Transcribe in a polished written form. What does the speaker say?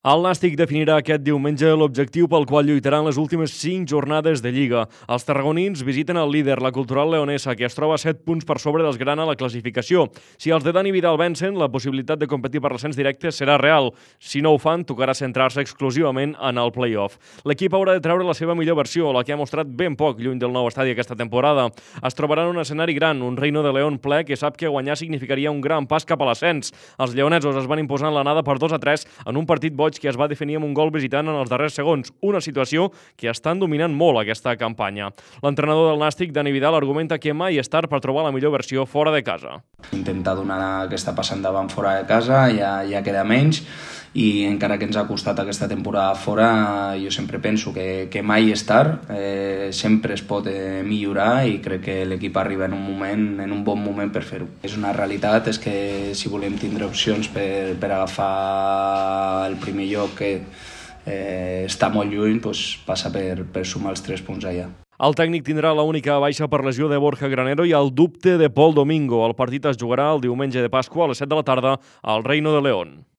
El Nàstic definirà aquest diumenge l'objectiu pel qual lluitaran les últimes 5 jornades de Lliga. Els tarragonins visiten el líder, la Cultural Leonesa, que es troba a 7 punts per sobre dels Grana a la classificació. Si els de Dani Vidal vencen, la possibilitat de competir per l'ascens directe serà real. Si no ho fan, tocarà centrar-se exclusivament en el play-off. L'equip haurà de treure la seva millor versió, la que ha mostrat ben poc lluny del nou estadi aquesta temporada. Es trobarà en un escenari gran, un Reino de León ple que sap que guanyar significaria un gran pas cap a l'ascens. Els lleonesos es van imposar en l'anada per 2-3 en un partit boig que es va definir amb un gol visitant en els darrers segons, una situació que estan dominant molt aquesta campanya. L'entrenador del Nàstic, Dani Vidal, argumenta que mai és tard per trobar la millor versió fora de casa. Intentar donar el que està passant davant fora de casa, ja queda menys, i encara que ens ha costat aquesta temporada fora, jo sempre penso que mai és tard, sempre es pot millorar i crec que l'equip arriba en un bon moment per fer-ho. És una realitat, és que si volem tindre opcions per agafar el primer lloc que està molt lluny, doncs passa per sumar els 3 punts allà. El tècnic tindrà l'única baixa per lesió de Borja Granero i el dubte de Pol Domingo. El partit es jugarà el diumenge de Pasqua a les 7 de la tarda al Reino de León.